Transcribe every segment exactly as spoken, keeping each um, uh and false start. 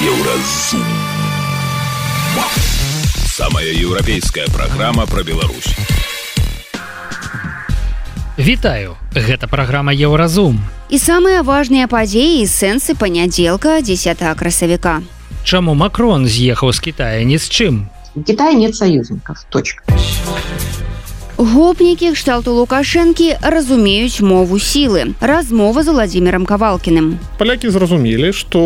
Еўразум. Самая еўрапейская праграма пра Беларусь. Вітаю, гэта праграма Еўразум. І самыя важныя падзеі і сэнсы панядзелка дзесятага красавіка. Чаму Макрон з'ехаў з Китая ні з чым? У Китая нет союзников. Точка. Гопнікі кшталту Лукашэнкі разумеюць мову сілы. Размова з Владзімірам Кавалкіным. Палякі зразумелі, што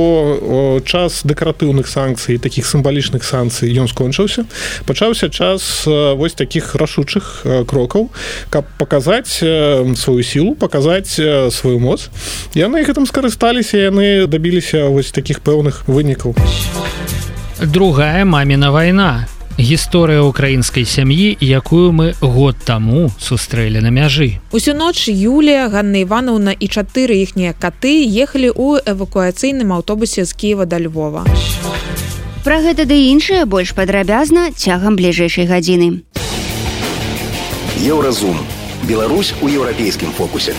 час дэкаратыўных санкцый, такіх сімвалічных санкцый ён скончыўся. Пачаўся час вось такіх рашучых крокаў, каб паказаць сваю сілу, паказаць сваю моц. Яны гэтым скарысталіся, яны дабіліся вось такіх пэўных вынікаў. Другая маміна вайна. Гісторыя ўкраінскай сям'і, якую мы год таму сустрэлі на мяжы. Усю ноч Юлія, Ганна Івановна і чатыры іхнія каты ехалі ў эвакуацыйным аўтобусе з Кіева да Львова. Пра гэта ды іншае больш падрабязна цягам бліжэйшай гадзіны. Еўразум. Беларусь у еўрапейскім фокусе.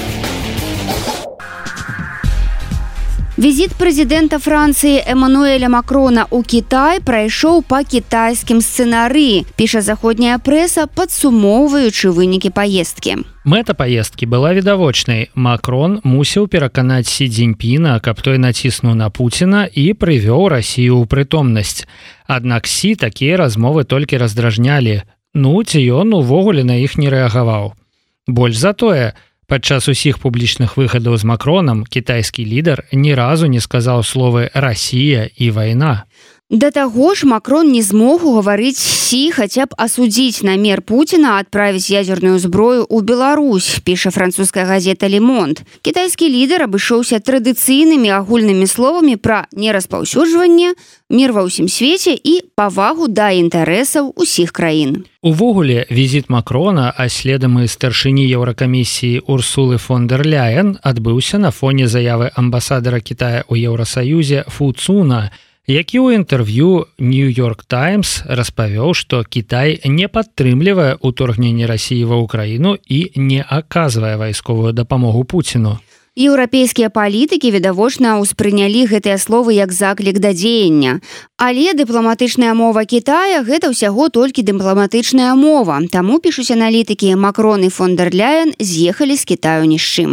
Візіт прэзідэнта Францыі Эмануэля Макрона ў Кітай прайшоў па кітайскім сцэнарыі, піша заходняя прэса, падсумоўваючы вынікі паездкі. Мэта паездкі была відавочнай. Макрон мусіў пераканаць Сі Цзіньпіна, каб той націснуў на Пуціна і прывёў Расію ў прытомнасць. Аднак Сі такія размовы толькі раздражнялі. Ну, ці ён увогуле на іх не рэагаваў. Больш за тое, падчас усіх публічных выхадаў з Макронам кітайскі лідар ні разу не сказаў словы «Расія» і «вайна». Да таго ж Макрон не змог угаварыць Сі хаця б асудзіць намер Пуціна адправіць ядзерную зброю ў Беларусь, піша французская газета «Ле Монд». Кітайскі лідар абышоўся традыцыйнымі агульнымі словамі пра нераспаўсюджванне, мір ва ўсім свеце і павагу да інтарэсаў усіх краін. Увогуле, візіт Макрона, а следам і старшыні Еўракамісіі Урсулы фон дэр Ляйен адбыўся на фоне заявы амбасадара Китая ў Еўрасаюзе Фу Цуна, які ў інтэрв'ю «Нью-Йорк Таймс» распавёў, што Кітай не падтрымлівае ўторгненне Расіі ва ўкраіну і не аказвае вайсковую дапамогу Пуціну. Еўрапейскія палітыкі відавочна ўспрынялі гэтыя словы як заклік да дзеяння. Але дыпламатычная мова Кітая – гэта ўсяго толькі дыпламатычная мова. Таму, пішуць аналітыкі, Макрон і фон дэр Ляйен з'ехалі з Кітаю ні з чым.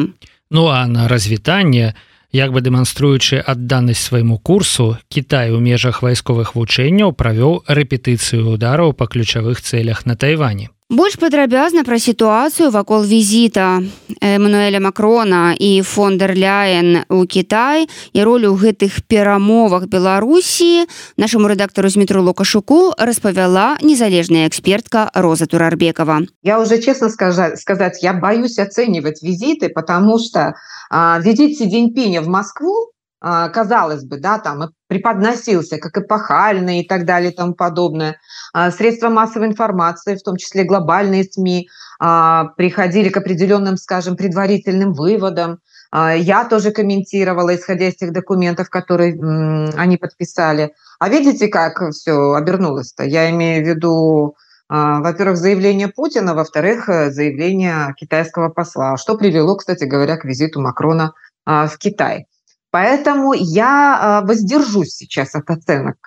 Ну а на развітанне, як бы дэманструючы адданасць свайму курсу, Кітай у межах вайсковых вучэнняў правёў рэпетыцыю удараў па ключавых цэлях на Тайвані. Больш падрабязна пра сітуацыю вакол візіта Эмануэля Макрона і фон дэр Ляйен у Кітай і ролю ў гэтых перамовах Беларусі нашаму рэдактару Змітру Лукашуку распавяла незалежная экспертка Роза Турарбекова. Я уже честно сказать, сказать, я боюсь оценивать визиты, потому что а, визит Си Цзиньпиня в Москву, а, казалось бы, да, там преподносился как эпохальный и так далее и тому подобное. А, средства массовой информации, в том числе глобальные СМИ, а, приходили к определенным, скажем, предварительным выводам. А, я тоже комментировала, исходя из тех документов, которые м, они подписали. А видите, как все обернулось-то? Я имею в виду, а, во-первых, заявление Путина, во-вторых, заявление китайского посла, что привело, кстати говоря, к визиту Макрона а, в Китай. Поэтому я воздержусь сейчас от оценок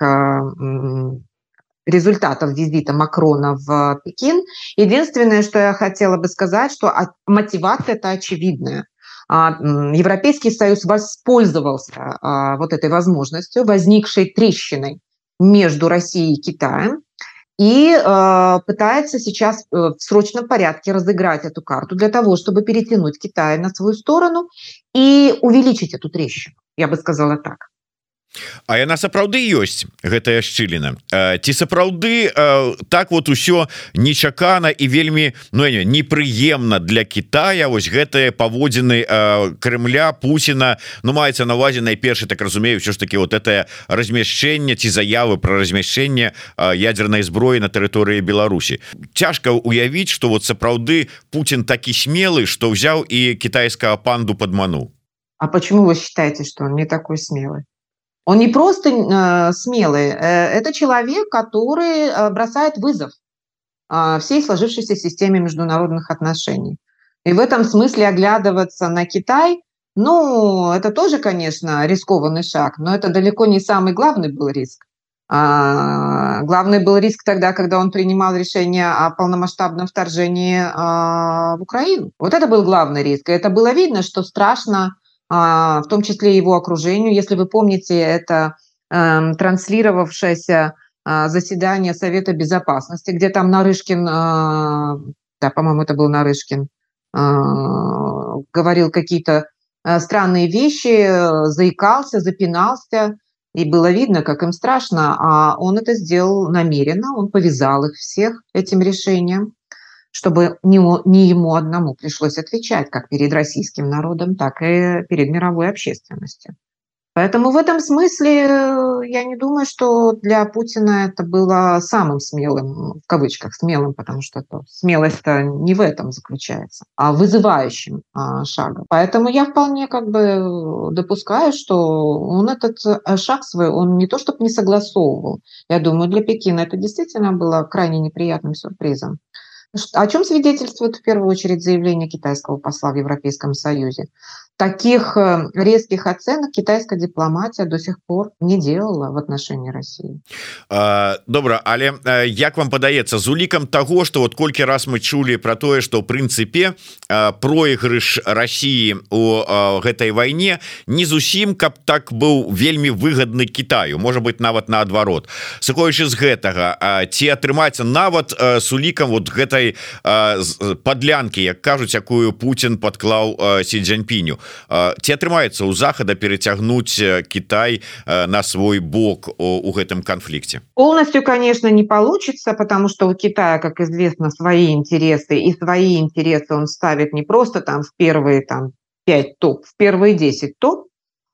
результатов визита Макрона в Пекин. Единственное, что я хотела бы сказать, что мотивация-то очевидная. Европейский Союз воспользовался вот этой возможностью, возникшей трещиной между Россией и Китаем, и э, пытается сейчас э, в срочном порядке разыграть эту карту для того, чтобы перетянуть Китай на свою сторону и увеличить эту трещину, я бы сказала так. А яна сапраўды ёсць, гэтая шчыліна. Ці сапраўды так вот усё нечакана і вельмі, ну, непрыемна для Китая, вось гэтыя паводзіны Крымля, Пуціна, ну, маецца на ўвазе найперш, так разумею, ўсё ж таки вот это размяшчэнне ці заявы пра размяшчэнне ядзернай зброі на тэрыторыі Беларусі. Цяжка уявіць, што вот сапраўды Путін такі смелы, што ўзяў і кітайскага панду падмануў. А почему вы считаете, что он не такой смелый? Он не просто э, смелый, э, это человек, который э, бросает вызов э, всей сложившейся системе международных отношений. И в этом смысле оглядываться на Китай Ну, это тоже, конечно, рискованный шаг, но это далеко не самый главный был риск. А, главный был риск тогда, когда он принимал решение о полномасштабном вторжении а, в Украину. Вот это был главный риск. И это было видно, что страшно, а, в том числе его окружению. Если вы помните, это а, транслировавшееся а, заседание Совета Безопасности, где там Нарышкин, а, да, по-моему, это был Нарышкин, а, говорил какие-то а, странные вещи, заикался, запинался. И было видно, как им страшно, а он это сделал намеренно, он повязал их всех этим решением, чтобы не, не ему одному пришлось отвечать как перед российским народом, так и перед мировой общественностью. Поэтому в этом смысле я не думаю, что для Путина это было самым смелым, в кавычках смелым, потому что смелость-то не в этом заключается, а вызывающим а, шагом. Поэтому я вполне как бы допускаю, что он этот шаг свой, он не то чтобы не согласовывал. Я думаю, для Пекина это действительно было крайне неприятным сюрпризом. О чем свидетельствует в первую очередь заявление китайского посла в Европейском Союзе? Таких резких оценок китайская дипломатия до сих пор не делала в отношении России. А, добра, але як вам падаецца з улікам того, что вот колькі раз мы чулі про тое, что в прынцыпе проигрыш России у гэтай вайне не зусім каб так быў вельмі выгодны Китаю, может быть нават наадварот. Сыходзячы з гэтага, ці атрымаецца нават с улікам вот гэтай подлянкі, як кажуць, якую Путин подклаў Си Цзиньпиню, ці атрымаецца у Захада перецягнуть Китай на свой бок у гэтым конфликте? Полностью, конечно, не получится, потому что у Китая, как известно, свои интересы, и свои интересы он ставит не просто там в первые там пять топ, в первые десять топ,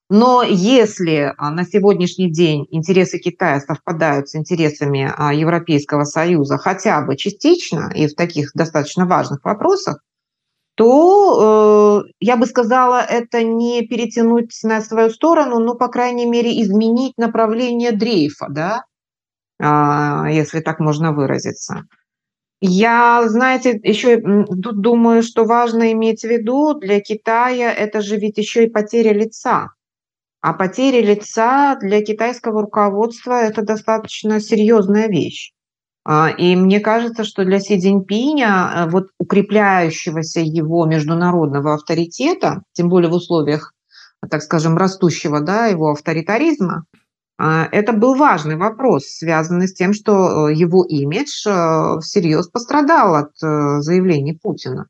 но если на сегодняшний день интересы Китая совпадают с интересами Европейского Союза хотя бы частично и в таких достаточно важных вопросах, то, э, я бы сказала, это не перетянуть на свою сторону, но, по крайней мере, изменить направление дрейфа, да, э, если так можно выразиться. Я, знаете, еще тут думаю, что важно иметь в виду для Китая, это же ведь еще и потеря лица. А потеря лица для китайского руководства – это достаточно серьезная вещь. И мне кажется, что для Си Цзиньпиня, вот укрепляющегося его международного авторитета, тем более в условиях, так скажем, растущего, да, его авторитаризма, это был важный вопрос, связанный с тем, что его имидж всерьез пострадал от заявлений Путина.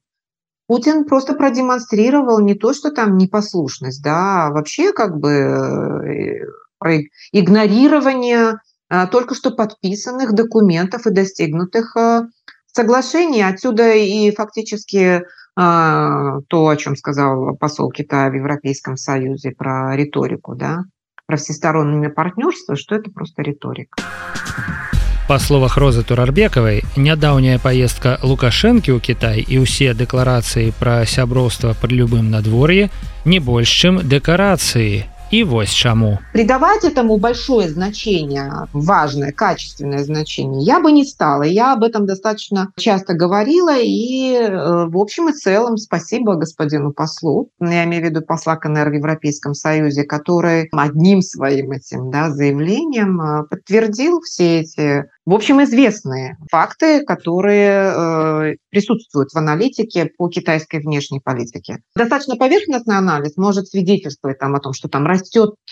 Путин просто продемонстрировал не то, что там непослушность, да, а вообще как бы игнорирование только что подписанных документов и достигнутых соглашений. Отсюда и фактически то, о чем сказал посол Китая в Европейском Союзе про риторику, да, про всестороннее партнерство, что это просто риторика. Па словах Розы Турарбекавай, нядаўняя паездка Лукашэнкі ў Кітай і ўсе дэкларацыі пра сяброўства пры любым надвор'і не больш, чым дэкарацыі. И вот чему. Придавать этому большое значение, важное, качественное значение, я бы не стала. Я об этом достаточно часто говорила. И в общем и целом спасибо господину послу, я имею в виду посла КНР в Европейском Союзе, который одним своим этим, да, заявлением подтвердил все эти, в общем, известные факты, которые э, присутствуют в аналитике по китайской внешней политике. Достаточно поверхностный анализ может свидетельствовать там, о том, что там растет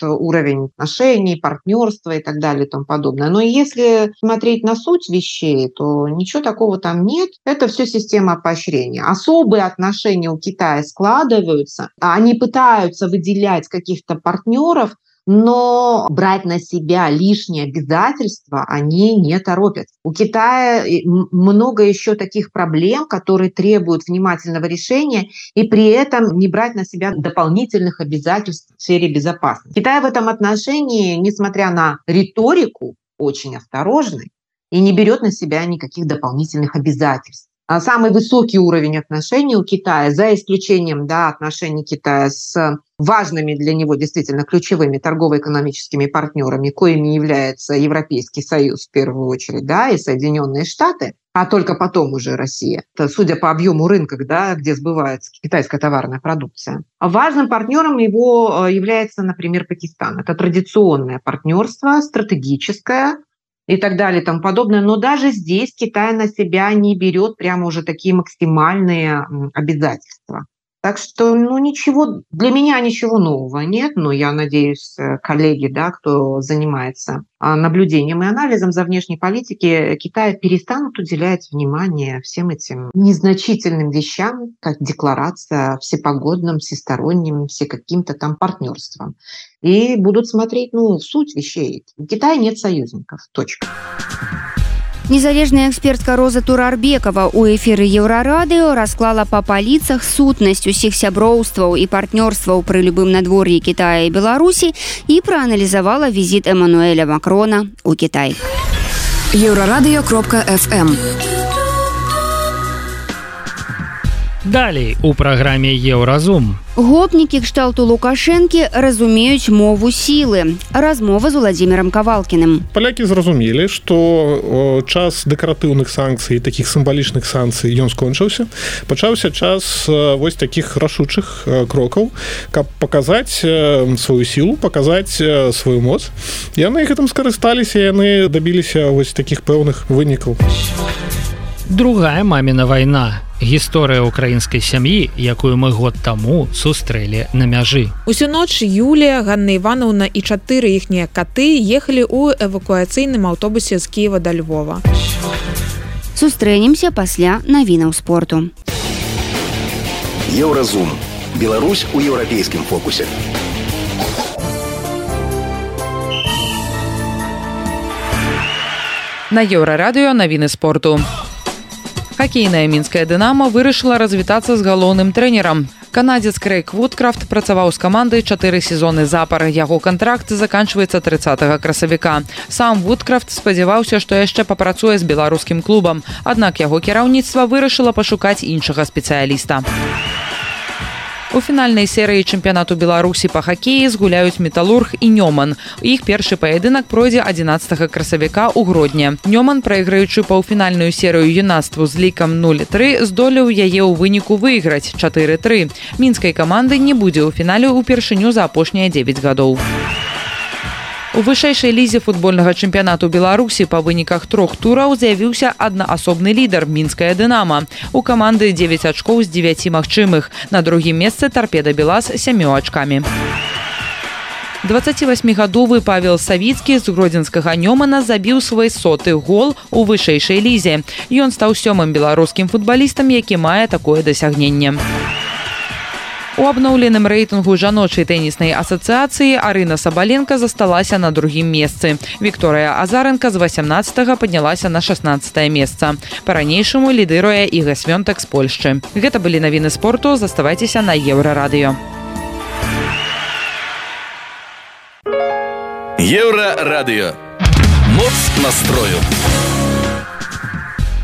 уровень отношений, партнерства и так далее и тому подобное. Но если смотреть на суть вещей, то ничего такого там нет. Это все система поощрения. Особые отношения у Китая складываются. Они пытаются выделять каких-то партнеров, но брать на себя лишние обязательства они не торопят. У Китая много еще таких проблем, которые требуют внимательного решения, и при этом не брать на себя дополнительных обязательств в сфере безопасности. Китай в этом отношении, несмотря на риторику, очень осторожный и не берет на себя никаких дополнительных обязательств. самый высокий уровень отношений у Китая, за исключением, да, отношений Китая с важными для него действительно ключевыми торгово-экономическими партнерами, коими является Европейский Союз в первую очередь, да, и Соединенные Штаты, а только потом уже Россия. Это, судя по объему рынка, да, где сбывается китайская товарная продукция. Важным партнером его является, например, Пакистан. Это традиционное партнерство, стратегическое и так далее и тому подобное. Но даже здесь Китай на себя не берет прямо уже такие максимальные обязательства. Так что, ну, ничего, для меня ничего нового нет, но я надеюсь, коллеги, да, кто занимается наблюдением и анализом за внешней политики Китая, перестанут уделять внимание всем этим незначительным вещам, как декларация о всепогодном, всестороннем, все каким-то там партнерством. И будут смотреть, ну, в суть вещей. У Китая нет союзников. Точка. Незалежная экспертка Роза Турарбекова ў эфіры Еўрарадыё расклала па паліцах сутнасць усіх сяброўстваў і партнёрстваў пры любым надвор'і Китая і Беларусі і прааналізавала візіт Эммануэля Макрона ў Кітай. еўрарадыё кропка эф эм. Далей у праграме Еўразум. Гопнікі кшталту Лукашэнкі разумеюць мову сілы. Размова з Уладзімірам Кавалкіным. Палякі зразумелі, што час дэкаратыўных санкцый, такіх сімвалічных санкцый ён скончыўся. Пачаўся час вось такіх рашучых крокаў, каб паказаць сваю сілу, паказаць сваю моц. Яны гэтым скарысталіся, яны дабіліся вось такіх пэўных вынікаў. Другая маміна вайна. Гісторыя ўкраінскай сям'і, якую мы год таму сустрэлі на мяжы. Усю ноч Юлія, Ганна Івановна і чатыры іхнія каты ехалі ў эвакуацыйным аўтобусе з Кіева да Львова. Сустрэнемся пасля навінаў спорту. Еўразум. Беларусь у еўрапейскім фокусе. На Еўрарадыё навіны спорту. Хакейная мінская «Дынамо» вырашыла развітацца з галоўным трэнерам. Канадзец Крэйг Вудкрафт працаваў з камандай чатыры сезоны запар. Яго кантракт заканчваецца трыццатага красавіка. Сам Вудкрафт спадзяваўся, што яшчэ папрацуе з беларускім клубам. Аднак яго кіраўніцтва вырашыла пашукаць іншага спецыяліста. У фінальнай серыі чэмпіянату Беларусі па хакеі згуляюць «Металург» і «Нёман». Іх першы паядынак пройдзе адзінаццатага красавіка ў Гродні. «Нёман», прайграючы паўфінальную серыю юнацтву з лікам нуль тры, здолеў яе ў выніку выйграць чатыры тры. Мінскай каманды не будзе ў фінале ўпершыню за апошнія дзевяць гадоў. У вышэйшай лізе футбольнага чэмпіянату Беларусі па выніках трох тураў з'явіўся аднаасобны лідар мінская «Дынамо». У каманды дзевяць ачкоў з дзевяці магчымых. На другім месцы «Торпеда Белас» сямю ачкамі. дваццацівасьмігадовы Павел Савіцкі з гродзенскага «Нёмана» забіў свой соты гол у вышэйшай лізе. Ён стаў сёмым беларускім футбалістам, які мае такое дасягненне. У абноўленым рэйтынгу жаночай тэніснай асацыяцыі Арына Сабаленка засталася на другім месцы. Вікторыя Азаренка з васямнаццатага паднялася на шаснаццатае месца. Па-ранейшаму лідыруе Іга Свёнтак з Польшчы. Гэта былі навіны спорту. Заставайцеся на Еўрарадыё. Еўрарадыё. Моц настрою.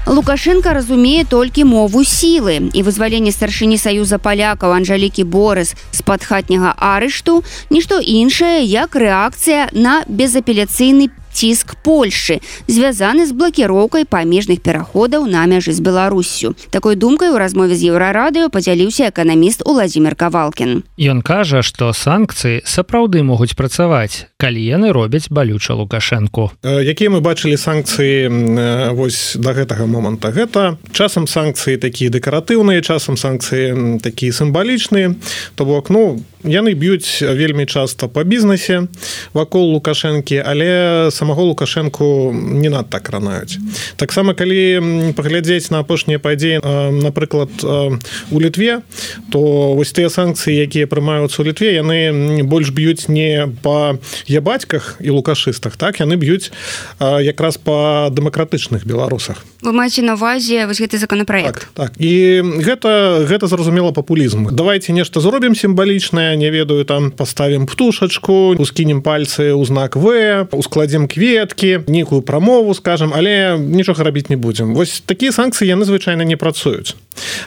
Лукашенко разумее толькі мову сілы, і вызваленне старшыні Саюза палякаў Анжалікі Борыс з-пад хатняга арышту нішто іншае, як рэакцыя на безапеляцыйны ціск Польшчы, звязаны з блакіроўкай памежных пераходаў на мяжы з Беларуссю. Такой думкай у размове з Еўрарадыё падзяліўся эканаміст Уладзімір Кавалкін. Ён кажа, што санкцыі сапраўды могуць працаваць, калі яны робяць балюча Лукашэнку. Якія мы бачылі санкцыі вось да гэтага моманта? Гэта часам санкцыі такія дэкаратыўныя, часам санкцыі такія сімвалічныя. То бок, ну, яны б'юць вельмі часта па бізнесе вакол Лукашэнкі, але самого Лукашэнку не надта кранаюць. Таксама, калі паглядзець на апошнія падзеі, напрыклад, у Літве, то вось тыя санкцыі, якія прымаюцца ў Літве, яны больш б'юць не па ябацьках і лукашыстах, так, яны б'юць якраз па дэмакратычных беларусах. Вы маеце на ўвазе вось гэты законапраект? Так, так. І гэта, гэта зразумела папулізм. Давайте нешта зробім сімвалічнае, не ведаю, там поставім птушачку, ускінем пальцы ў знак В, ускладзем кветкі, нейкую прамову скажем, але нічога рабіць не будзем. Вось такія санкцыі яны звычайна не працуюць.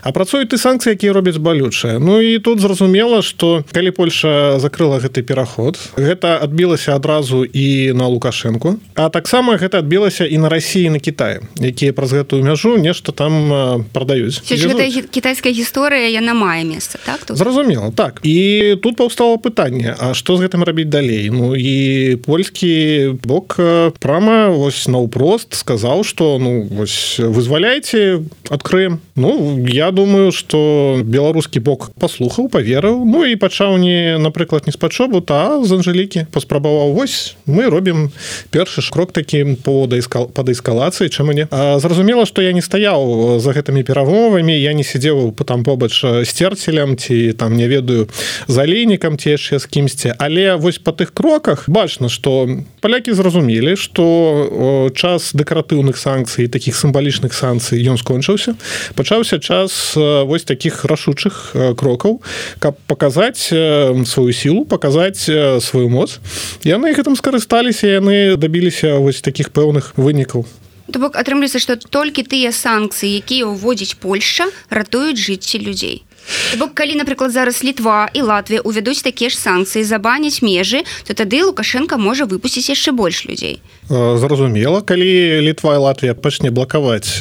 А працуюць і санкцыі, якія робяць балючыя. Ну і тут зразумела, што калі Польша закрыла гэты пераход, гэта адбілася адразу і на Лукашэнку, а таксама гэта адбілася і на Расіі, і на Кітаі, якія праз гэтую мяжу нешта там прадаюць. Гэта кітайская гісторыя, яна мае месца, так? Тут? Зразумела, так. І тут паўстала пытанне, а што з гэтым рабіць далей? Ну і польскі бок прама вось наўпрост сказаў, што ну вось вызваляйце, адкрыем. Ну, я думаю, што беларускі бок паслухаў, паверыў, ну і пачаў не, напрыклад, не з пачобу, а з Анжэлікі. Паспрабаваў, вось, мы робім першы ж крок такі по эскалацыі, чаму не? А зразумела, што я не стаяў за гэтымі перамовамі, я не сидзеў там побач з Церцелем, ці там, не ведаю, з Алейнікам, ці яшчэ з кімсьці. Але вось па тых кроках бачна, што палякі зразумелі, што час дэкаратыўных санкцый, такіх сімвалічных санкцый, ён скончыўся. Пачаўся час вось такіх рашучых крокаў, каб паказаць сваю сілу, паказаць сваю моц. Яны гэтым скарысталіся, яны дабіліся вось такіх пэўных вынікаў. То бок атрымліваецца, што толькі тыя санкцыі, якія ўводзіць Польшча, ратуюць жыцці людзей. То бок, калі, напрыклад, зараз Літва і Латвія увядуць такія ж санкцыі, забаняць межы, то тады Лукашенко можа выпусціць яшчэ больш людзей. Зразумела, калі Літва і Латвія пачне блакаваць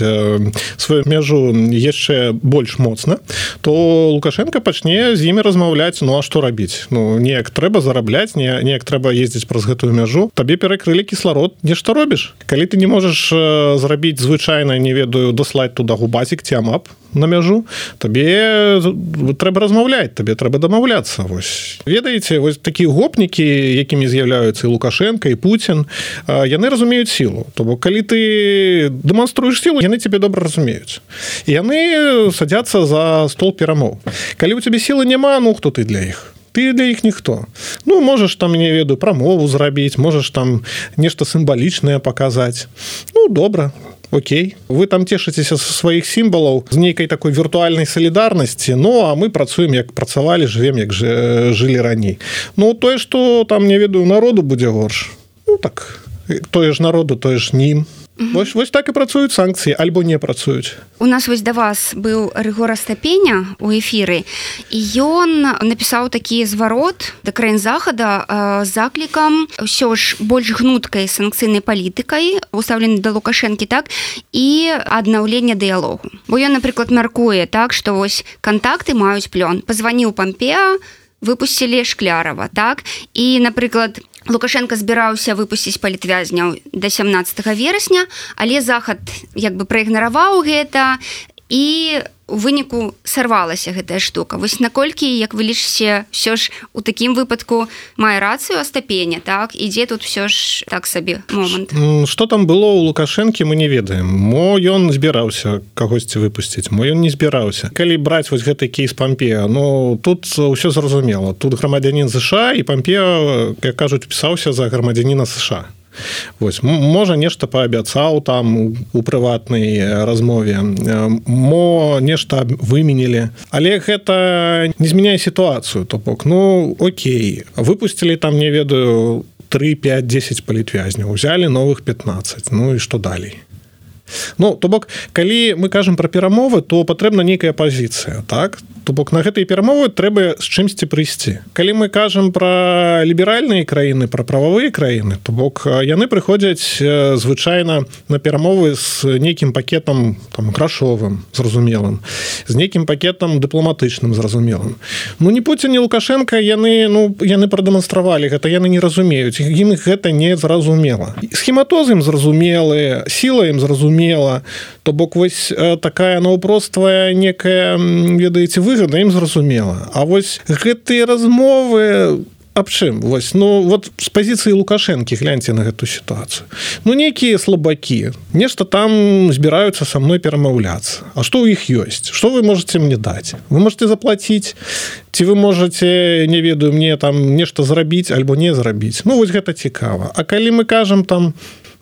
сваю мяжу яшчэ больш моцна, то Лукашенко пачне з імі размаўляць, ну а што рабіць? Ну, неяк трэба зарабляць, неяк трэба ездзіць праз гэтую мяжу. Табе перакрылі кісларод, нешта робіш. Калі ты не можаш зрабіць звычайна, не ведаю, даслаць туда губазік ці амап на мяжу, табе трэба размаўляць, табе трэба дамаўляцца. Вось. Ведаеце, вось такія гопнікі, якімі з'яўляюцца і Лукашенко, і Пуцін, яны разумеюць сілу. То бок, калі ты дэманструеш сілу, яны цябе добра разумеюць. І яны садзяцца за стол перамоў. Калі ў цябе сілы няма, ну хто ты для іх? Ты для іх ніхто. Ну, можаш там, не ведаю, прамову зрабіць, можаш там нешта сімвалічнае паказаць. Ну, добра. Окей, вы там цешыцеся са сваіх сімвалаў з нейкай такой віртуальнай салідарнасці, ну а мы працуем, як працавалі, жывем, як жылі раней. Ну тое, што там, не ведаю, народу будзе горш. Ну так, тое ж народу, тое ж нім. Вось, вось так і працуюць санкцыі, альбо не працуюць. У нас вось да вас быў Рыгор Астапеня ў эфіры, і ён напісаў такі зварот да краін захада з заклікам ўсё ж больш гнуткай санкцыйнай палітыкай, устаўленай да Лукашэнкі, так, і аднаўлення дыялогу. Бо ён, напрыклад, мяркуе так, што вось кантакты маюць плён. Пазваніў Пампеа, выпусцілі Шклярова, так, і, напрыклад, Лукашенко збіраўся выпусціць палітвязняў да сямнаццатага верасня, але захад як бы праігнараваў гэта, і у выніку сарвалася гэтая штука. Вось наколькі, як вы лічыце, ўсё ж у такім выпадку мае рацыю Астапеня, так? Ідзе тут ўсё ж так сабе момант. Што там было ў Лукашэнкі, мы не ведаем. Мо ён збіраўся кагосьці выпусціць, мо ён не збіраўся. Калі браць вось гэты кейс Пампеа, ну тут ўсё зразумела. Тут грамадзянін США, і Пампеа, як кажуць, пісаўся за грамадзяніна США. Вось, можа нешта паабяцаў там у прыватнай размове, мо нешта выменілі, але гэта не змяняе сітуацыю. То бок, ну окей, выпусцілі там, не ведаю, тры, пяць, дзесяць палітвязняў, узялі новых пятнаццаць, ну і што далей? Ну, то бок, калі мы кажам пра перамовы, то патрэбна нейкая пазіцыя, так? То бок, на гэтыя перамовы трэба з чымсьці прыйсці. Калі мы кажам пра ліберальныя краіны, пра прававыя краіны, то бок, яны прыходзяць звычайна на перамовы з нейкім пакетам там грашовым, зразумелым, з нейкім пакетам дыпламатычным, зразумелым. Ну, ні Пуцін, ні Лукашенко, яны, ну, яны прадэманстравалі гэта, яны не разумеюць, ім гэта не зразумела. Схематоз ім зразумелы, сіла ім зразумела, то бок вось такая наўпроствая некая, ведаеце, выгода ім зразумела. А вось гэтыя размовы аб чым? Вось, ну, вот з пазіцыі Лукашэнкі гляньце на гэту сітуацыю. Ну, нейкія слабакі, нешта там збіраюцца са мной перамаўляцца. А што ў іх ёсць? Што вы можаце мне даць? Вы можаце заплаціць? Ці вы можаце, не ведаю, мне там нешта зрабіць альбо не зрабіць? Ну, вось гэта цікава. А калі мы кажам там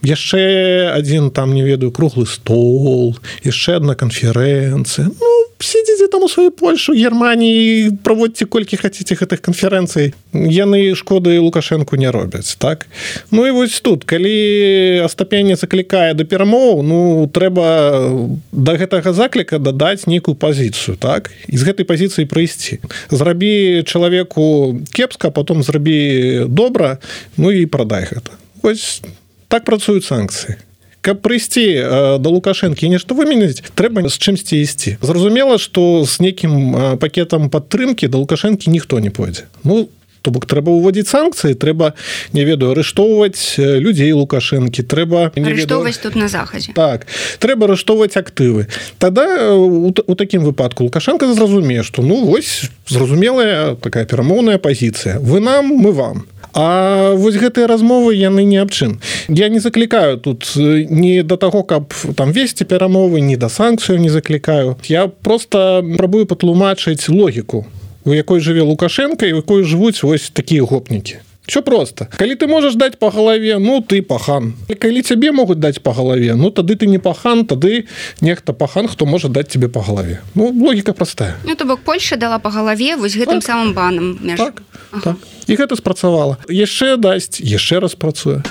яшчэ адзін там, не ведаю, круглы стол, яшчэ адна канферэнцыя, ну, сидзіце там у сваёй Польшы, Германіі, праводзьце колькі хацеце гэтых канферэнцый. Яны шкоды Лукашэнку не робяць, так? Ну і вось тут, калі Астапенне заклікае да перамоў, ну, трэба да гэтага закліка дадаць нейкую пазіцыю, так? І з гэтай пазіцыі прыйсці. Зрабі чалавеку кепска, потом зрабі добра, ну і прадай гэта. Вось так працуюць санкцыі. Каб прыйсці да Лукашэнкі нешта вымяніць, трэба з чымсьці ісці. Зразумела, што з нейкім пакетам падтрымкі да Лукашэнкі ніхто не пойдзе. Ну, то бок трэба ўводзіць санкцыі, трэба, не ведаю, арыштоўваць людзей Лукашэнкі, трэба... Арыштоўваць тут на захадзе. Так, трэба арыштоўваць актывы. Тада у, у такім выпадку Лукашэнка зразумее, што ну вось зразумелая такая перамоўная пазіцыя. Вы нам, мы вам. А вось гэтыя размовы яны не аб чым. Я не заклікаю тут не да таго, каб там весці перамовы, ні да санкцыяў не заклікаю. Я просто прабую патлумачыць логіку, у якой жыве Лукашэнка і у якой жывуць вось такія гопнікі. Все просто. Калі ты можаш даць па галаве, ну ты пахан. Калі цябе могуць даць па галаве, ну тады ты не пахан, тады нехта пахан, хто можа даць тебе па галаве. Ну, логіка простая. Ну, то бок Польша дала па галаве вось гэтым так. самым банам. Меж... Так, ага. так. І гэта спрацавала. Яшчэ дасць, яшчэ раз працуе.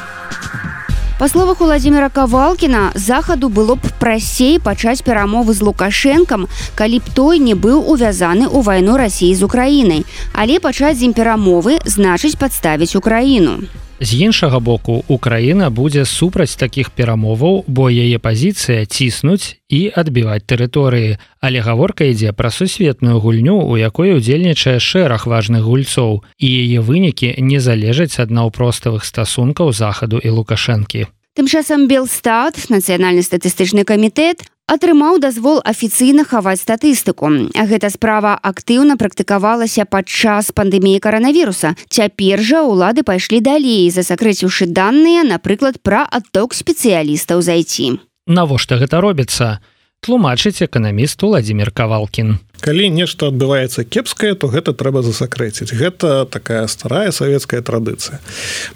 Па словах Уладзіміра Кавалкіна, захаду было б прасцей пачаць перамовы з Лукашэнкам, калі б той не быў увязаны ў вайну Расіі з Украінай. Але пачаць з ім перамовы значыць падставіць Украіну. З іншага боку, Украіна будзе супраць такіх перамоваў, бо яе пазіцыя ціснуць і адбіваць тэрыторыі. Але гаворка ідзе пра сусветную гульню, у якой удзельнічае шэраг важных гульцоў, і яе вынікі не залежаць ад наўпроставых стасункаў захаду і Лукашэнкі. Тым часам Белстат, нацыянальны статыстычны камітэт, атрымаў дазвол афіцыйна хаваць статыстыку. Гэта справа актыўна практыкавалася падчас пандэміі каранавіруса. Цяпер жа ўлады пайшлі далей, засакрэціўшы даныя, напрыклад, пра адток спецыялістаў з ай ти. Навошта гэта робіцца? Тлумачыць эканаміст Уладзімір Кавалкін. Калі нешта адбываецца кепскае, то гэта трэба засакрэціць. Гэта такая старая савецкая традыцыя.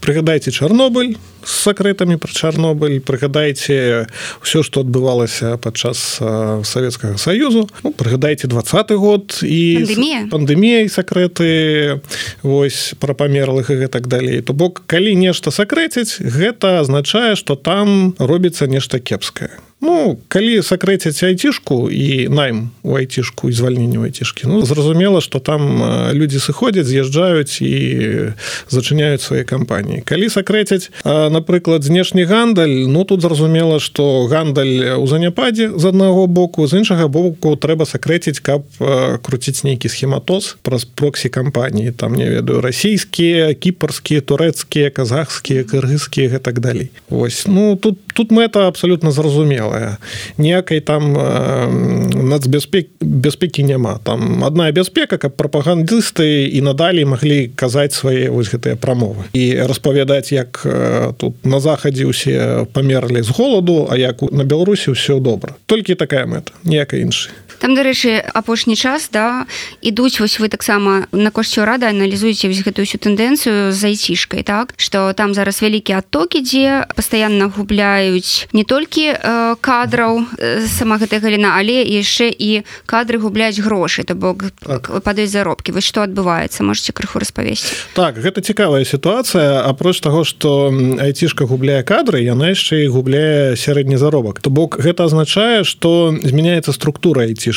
Прыгадайце Чарнобыль з сакрэтамі пра Чарнобыль, прыгадайце ўсё, што адбывалася падчас Савецкага Саюзу, ну, прыгадайце двадцаты год і пандэмія і сакрэты вось пра памерлых і гэтак далей. То бок, калі нешта сакрэціць, гэта азначае, што там робіцца нешта кепскае. Ну, калі сакрэціць айцішку і найм у айцішку і звальненне у айцішкі, ну, зразумела, што там людзі сыходзяць, з'язджаюць і зачыняюць свае кампаніі. Калі сакрэціць, напрыклад, знешні гандаль, ну, тут зразумела, што гандаль у заняпадзе з аднаго боку, з іншага боку трэба сакрэціць, каб круціць нейкі схематоз праз проксі-кампаніі, там, не ведаю, расійскія, кіпарскія, турэцкія, казахскія, кыргызскія і так далей. Вось, ну, тут, тут мэта абсалютна зразумела. Ніякай там нацбяспекі бяспекі няма. Там адна бяспека, каб прапагандысты і надалей маглі казаць свае вось гэтыя прамовы. І распавядаць, як тут на захадзе ўсе памерлі з голаду, а як на Беларусі ўсё добра. Толькі такая мэта, ніякай іншай. Там, дарэчы, апошні час, да, ідуць, вось вы таксама на кошце ўрада аналізуеце вось гэтую ўсю тэндэнцыю з айцішкай, так? Што там зараз вялікі адток ідзе, пастаянна губляюць не толькі э, кадраў э, сама гэтая галіна, але яшчэ і кадры губляюць грошы, то бок так. падаюць заробкі. Вось што адбываецца? Можаце крыху распавесці? Так, гэта цікавая сітуацыя. Апроч таго, што айцішка губляе кадры, яна яшчэ і губляе сярэдні заробак. То бок гэта азначае, што змяняецца структура айцішкі.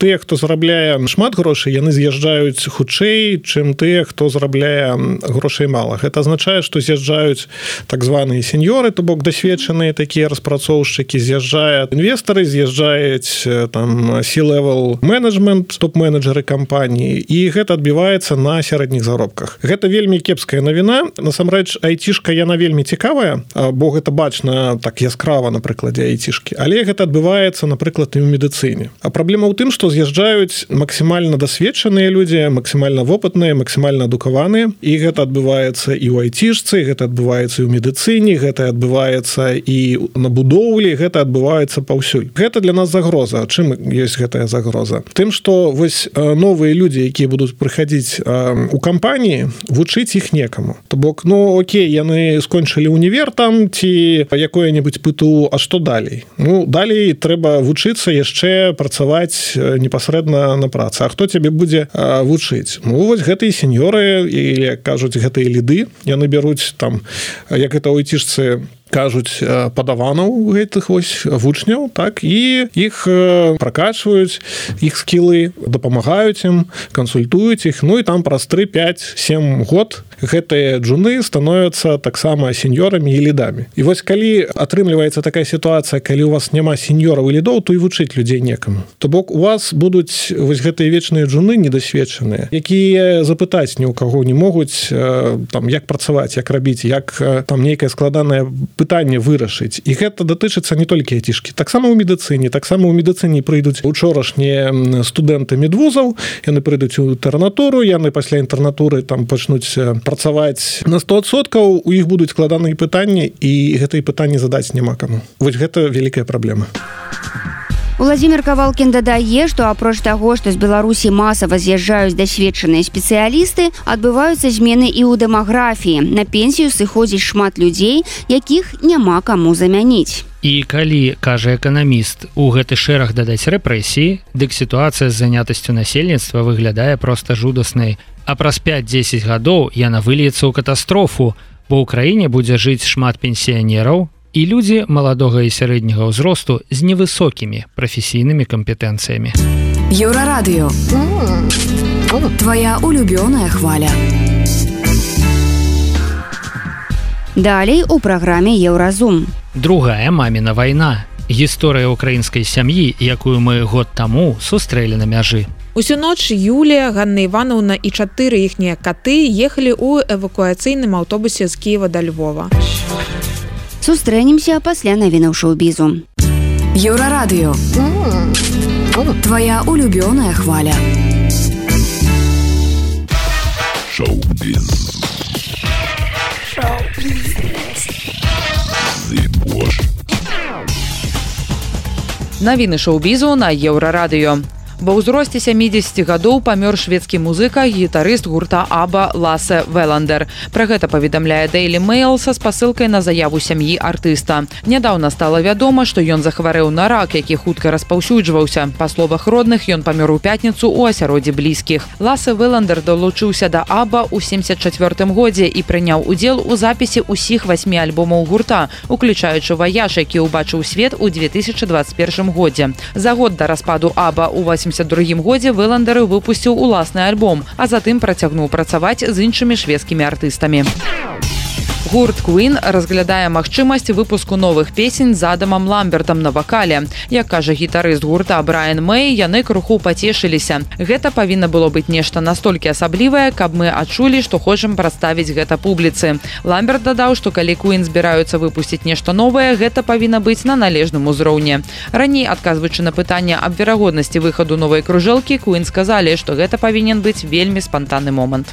Тыя, хто зарабляе шмат грошай, яны з'язджаюць хутчэй, чым тыя, хто зарабляе грошай мала. Гэта азначае, што з'язджаюць так званыя сеньоры, то бок дасведчаныя такія распрацоўшчыкі, з'язджаюць інвестары, з'язджаюць там C-level менеджмент, топ-менеджеры кампаніі, і гэта адбіваецца на сярэдніх заробках. Гэта вельмі кепская навіна. Насамрэч, айцішка, яна вельмі цікавая, бо гэта бачна так яскрава на прыкладзе айцішкі. Але гэта адбываецца, напрыклад, і ў медыцыне. А праблема ў тым, што з'язджаюць максімальна дасведчаныя людзі, максімальна вопытныя, максімальна адукаваныя, і гэта адбываецца і ў айцішцы, гэта адбываецца і ў медыцыне, гэта адбываецца і на будоўлі, гэта адбываецца паўсюль. Гэта для нас загроза. Чым ёсць гэтая загроза? Тым, што вось новыя людзі, якія будуць прыхадзіць у кампаніі, вучыць іх некаму. То бок, ну, окей, яны скончылі універ там ці якое-небудзь ПТУ, а што далей? Ну, далей трэба вучыцца яшчэ працаваць працаваць непасрэдна на працы. А хто цябе будзе вучыць? Ну, вось гэтыя сеньоры, или кажуць, гэтыя ліды, яны бяруць там, як это ў айцішцы кажуць, падаванаў гэтых вось вучняў, так, і іх пракачваюць, іх скілы, дапамагаюць ім, кансультуюць іх, ну і там праз тры пяць сем год гэтыя джуны становяцца таксама сеньорамі і лідамі. І вось калі атрымліваецца такая сітуацыя, калі у вас няма сеньораў і лідоў, то і вучыць людзей некаму. То бок у вас будуць вось гэтыя вечныя джуны недасведчаныя, якія запытаць ні ў каго не могуць, там, як працаваць, як рабіць, як там нейкае складанае пытанне вырашыць. І гэта датычыцца не толькі айцішкі. Таксама ў медыцыне. Таксама ў медыцыне прыйдуць учорашнія студэнты медвузаў, яны прыйдуць у інтэрнатуру, яны пасля інтэрнатуры там пачнуць працаваць на сто адсоткаў, у іх будуць складаныя пытанні, і гэтыя пытанні задаць няма каму. Вось гэта вялікая праблема. Владимир Кавалкін дадае, што апроч таго, што з Беларусі масава з'язджаюць дасведчаныя спецыялісты, адбываюцца змены і ў дэмаграфіі. На пенсію сыходзіць шмат людзей, якіх няма каму замяніць. І калі, кажа эканаміст, у гэты шэраг дадаць рэпрэсіі, дык сітуацыя з занятасцю насельніцтва выглядае проста жудаснай. А праз пяць-дзесяць гадоў яна выльецца ў катастрофу, бо ў краіне будзе жыць шмат пенсіянераў, і людзі маладога і сярэдняга ўзросту з невысокімі прафесійнымі кампетэнцыямі. Еўрарадыё. Твоя улюбёная хваля. Далей у праграме Еўразум. Другая маміна вайна. Гісторыя ўкраінскай сям'і, якую мы год таму сустрэлі на мяжы. Усю ноч Юлія, Ганна Івановна і чатыры іхнія каты ехалі ў эвакуацыйным аўтобусе з Кіева да Львова. Сустрэнемся пасля навінаў шоу-бізу. Еўрарадыё. Твоя улюбёная хваля. Шоу-біз. Навіны шоу-бізу на Еўрарадыё. Ва ўзросце сямідзесяці гадоў памёр шведскі музыка, гітарыст гурта Аба Лассе Веландер. Пра гэта паведамляе Daily Mail са спасылкай на заяву сям'і артыста. Нядаўна стала вядома, што ён захварэў на рак, які хутка распаўсюджваўся. Па словах родных, ён памёр у пятніцу ў асяроддзі блізкіх. Лассе Веландер далучыўся да Аба ў семдзесят чацвёртым годзе і прыняў удзел у запісе ўсіх васьмі альбомаў гурта, уключаючы «Ваяж», які ўбачыў свет у две тысячы дваццаць першым годзе. За год да распаду Аба ў восемьдесят другім годзе Веландер выпусціў уласны альбом, а затым працягнуў працаваць з іншымі шведскімі артыстамі. Гурт Queen разглядае магчымасць выпуску новых песень з Адамам Ламбертам на вакале. Як кажа гітарыст гурта Брайан Мэй, яны крыху пацешыліся. Гэта павінна было быць нешта настолькі асаблівае, каб мы адчулі, што хочам прадставіць гэта публіцы. Ламберт дадаў, што калі Queen збіраюцца выпусціць нешта новае, гэта павінна быць на належным узроўні. Раней, адказваючы на пытанне аб верагоднасці выхаду новай кружэлкі, Queen сказалі, што гэта павінен быць вельмі спантанны момант.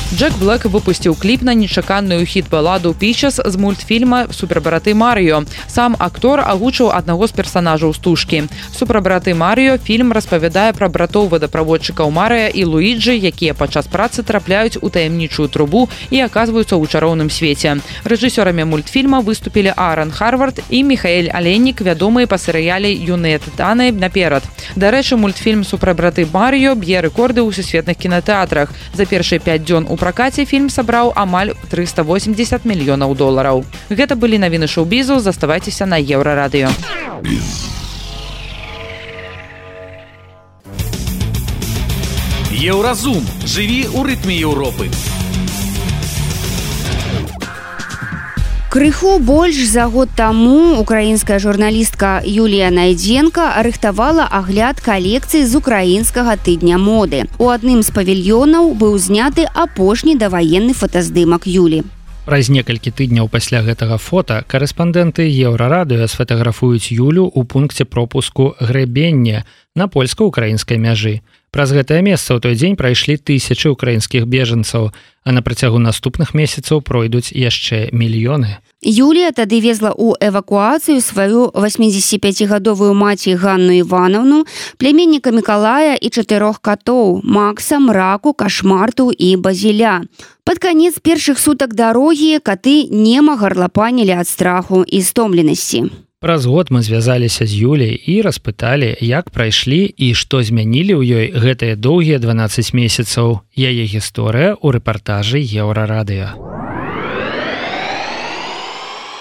Джек Блэк выпусціў кліп на нечаканую хіт-баладу «Peaches» з мультфільма «Супербраты Марыё». Сам актор агучыў аднаго з персанажаў стужкі. «Супербраты Марыё» фільм распавядае пра братоў вадаправодчыкаў Марыя і Луіджы, якія падчас працы трапляюць у таямнічую трубу і аказваюцца ў чароўным свеце. Рэжысёрамі мультфільма выступілі Аарон Харвард і Міхаэль Аленнік, вядомыя па серыяле «Юныя тытаны» наперад. Дарэчы, мультфільм «Супербраты Марыё» б'е рэкорды ў сусветных кінатэатрах. За першыя пяць дзён у пракаце фільм сабраў амаль трыста восемьдесят мільёнаў долараў. Гэта былі навіны шоу-бізу, заставайцеся на Еўрарадыё. Еўразум. Жыві ў рытме Еўропы. Крыху больш за год таму украінская журналістка Юлія Найдзенка рыхтавала агляд калекцыі з украінскага тыдня моды. У адным з павільёнаў быў зняты апошні даваенны фотаздымак Юлі. Праз некалькі тыдняў пасля гэтага фота карэспандэнты Еўрарадыё сфотаграфуюць Юлю ў пункце пропуску «Грэбенне» на польска-украінскай мяжы. Праз гэтае месца ў той дзень прайшлі тысячы украінскіх бежанцаў, а на працягу наступных месяцаў пройдуць яшчэ мільёны. Юлія тады везла ў эвакуацыю сваю восьмідзесятіпяцігадовую маці Ганну Івановну, пляменніка Мікалая і чатырох катоў – Макса, Мраку, Кашмарту і Базіля. Пад канец першых сутак дарогі каты нема гарлапанілі ад страху і стомленасці. Праз год мы звязаліся з Юляй і распыталі, як прайшлі і што змянілі ў ёй гэтыя доўгія дванаццаць месяцаў. Яе гісторыя ў рэпартажы Еўрарадыё.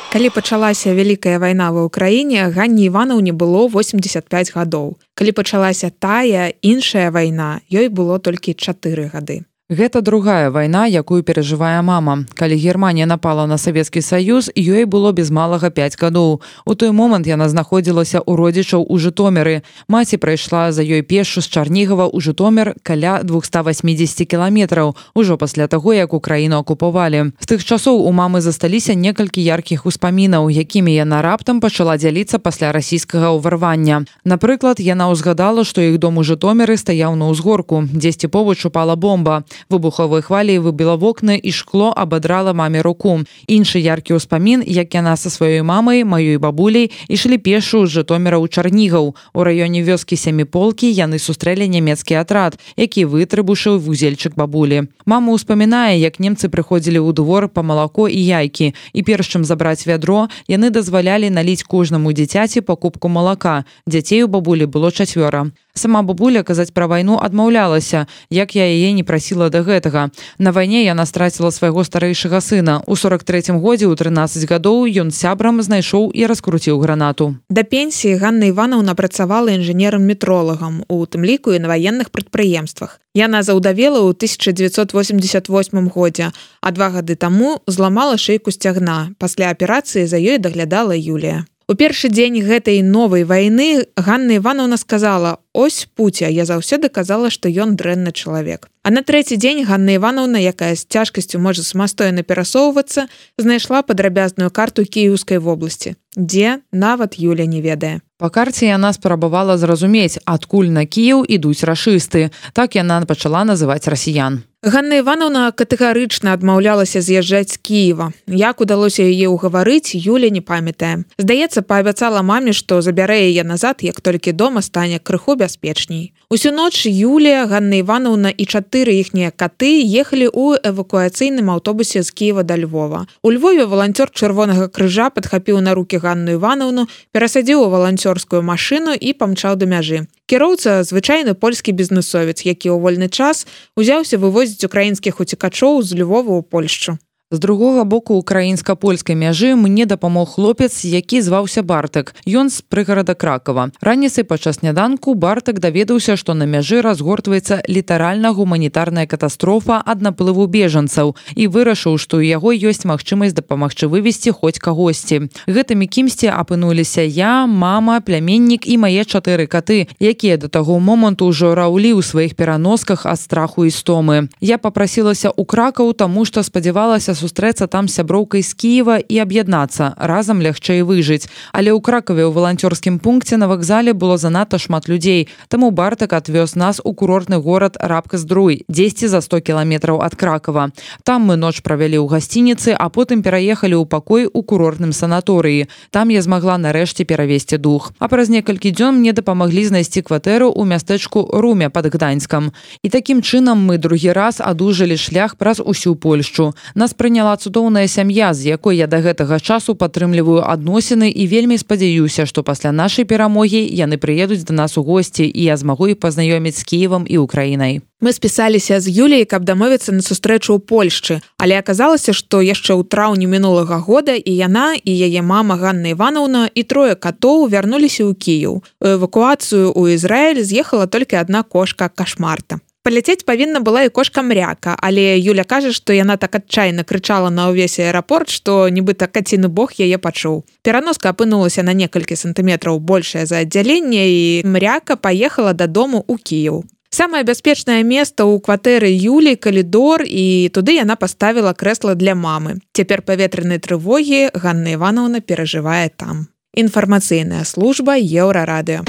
Калі пачалася вялікая вайна ва ўкраіне, Ганне Іванаўне было восемьдесят пять гадоў. Калі пачалася тая іншая вайна, ёй было толькі чатыры гады. Гэта другая вайна, якую перажывае мама. Калі Германія напала на Савецкі Саюз, ёй было без малага пяць гадоў. У той момант яна знаходзілася ў родзічаў у Жытоміры. Маці прайшла за ёй пешшу з Чарнігава ў Жытомір каля двухсот восьмидесяти кіламетраў, ужо пасля таго, як Украіну акупавалі. З тых часоў у мамы засталіся некалькі яркіх успамінаў, якімі яна раптам пачала дзяліцца пасля расійскага ўварвання. Напрыклад, яна ўзгадала, што іх дом у Жытоміры стаяў на ўзгорку, дзесьці побач упала бомба. Выбуховай хваляй выбіла вокны і шкло абадрала маме руку. Іншы яркі ўспамін, як яна са сваёй мамай, маёй бабуляй, ішлі пешшу з Жытоміра ў Чарнігаў. У раёне вёскі Сяміполкі яны сустрэлі нямецкі атрад, які вытрыбушыў вузельчык бабулі. Мама ўспамінае, як немцы прыходзілі ў двор па малако і яйкі, і перш чым забраць вядро, яны дазвалялі наліць кожнаму дзіцяці па кубку малака. Дзяцей у бабулі было чацвёра. Сама бабуля казаць пра вайну адмаўлялася, як я яе не прасіла да гэтага. На вайне яна страціла свайго старэйшага сына. У сорок трэцім годзе ў трынаццаць гадоў ён сябрам знайшоў і раскруціў гранату. Да пенсіі Ганна Іванаўна працавала інжынерам-метролагам, у тым ліку і на ваенных прадпрыемствах. Яна заўдавела ў тысяча дзевяцьсот восемьдесят восьмым годзе, а два гады таму зламала шыйку сцягна. Пасля аперацыі за ёй даглядала Юлія. У першы дзень гэтай новай вайны Ганна Іванаўна сказала: «Ось Пуця, я заўсёды казала, што ён дрэнны чалавек». А на трэці дзень Ганна Іванаўна, якая з цяжкасцю можа самастойна перасоўвацца, знайшла падрабязную карту Кіеўскай вобласці, дзе нават Юля не ведае. Па карце яна спрабавала зразумець, адкуль на Кіеў ідуць рашысты. Так яна пачала называць расіян. Ганна Іванаўна катэгарычна адмаўлялася з'язджаць з Кіева. Як удалося яе ўгаварыць, Юля не памятае. Здаецца, паабяцала маме, што забярэ яе назад, як толькі дома стане крыху бяспечней. Усю ноч Юлія, Ганна Іванаўна і чатыры іхнія каты ехалі ў эвакуацыйным аўтобусе з Кіева да Львова. У Львове валанцёр Чырвонага крыжа падхапіў на рукі Ганну Іванаўну, перасадзіў у валанцёрскую машыну і памчаў да мяжы. Кіроўца – звычайны польскі бізнесовец, які ў вольны час узяўся вывозіць украінскіх уцекачоў з Львова ў Польшчу. З другога боку украінска-польскай мяжы мне дапамог хлопец, які зваўся Бартак. Ён з прыгарада Кракава. Раніцай падчас сняданку Бартак даведаўся, што на мяжы разгортваецца літаральна гуманітарная катастрофа ад наплыву бежанцаў і вырашыў, што ў яго ёсць магчымасць дапамагчы вывезці хоць кагосьці. Гэтымі кімсьці апынуліся я, мама, пляменнік і мае чатыры каты, якія да таго моманту ўжо раўлі ў сваіх пераносках ад страху і стомы. Я папрасілася ў Кракаў, таму што спадзявалася сустрэцца там з сяброўкай з Кіева і аб'яднацца, разам лягчэй выжыць. Але ў Кракаве ў валанцёрскім пункце на вакзале было занадта шмат людзей, таму Бартак адвёз нас у курортны горад Рабка-Здруй, дзесьці за сто кіламетраў ад Кракава. Там мы ноч правялі ў гасцініцы, а потым пераехалі ў пакой у курортным санаторыі. Там я змагла нарэшце перавесці дух. А праз некалькі дзён мне дапамаглі знайсці кватэру ў мястэчку Руме пад Гданьскам. І такім чынам мы другі раз адужалі шлях праз усю Польшчу. Нас прыняла цудоўная сям'я, з якой я да гэтага часу падтрымліваю адносіны і вельмі спадзяюся, што пасля нашай перамогі яны прыедуць да нас у госці і я змагу іх пазнаёміць з Кіевам і Украінай. Мы спісаліся з Юляй, каб дамовіцца на сустрэчу ў Польшчы, але аказалася, што яшчэ ў траўні мінулага года і яна, і яе мама Ганна Іванаўна і трое катоў вярнуліся ў Кіеў. У эвакуацыю ў Ізраіль з'ехала толькі адна кошка Кашмарта. Паляцець павінна была і кошка Мряка, але Юля кажа, што яна так адчайна крычала на ўвесь аэрапорт, што нібыта каціны бог яе пачуў. Пераноска апынулася на некалькі сантыметраў большая за аддзяленне, і Мряка паехала дадому ў Кіеў. Самае бяспечнае месца ў кватэры Юлі – калідор, і туды яна паставіла крэсла для мамы. Цяпер паветранай трывогі Ганна Іванаўна перажывае там. Інфармацыйная служба Еўрарадыё.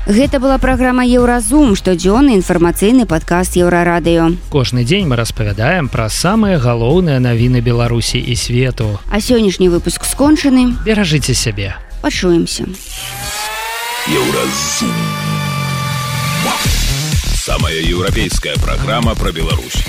Гэта была праграма «Еўразум», штодзённы інфармацыйны падкаст Еўрарадыё. Кожны дзень мы распавядаем пра самыя галоўныя навіны Беларусі і свету. А сённяшні выпуск скончаны. Беражыце сябе. Пачуемся. Еўразум. Самая еўрапейская праграма пра Беларусь.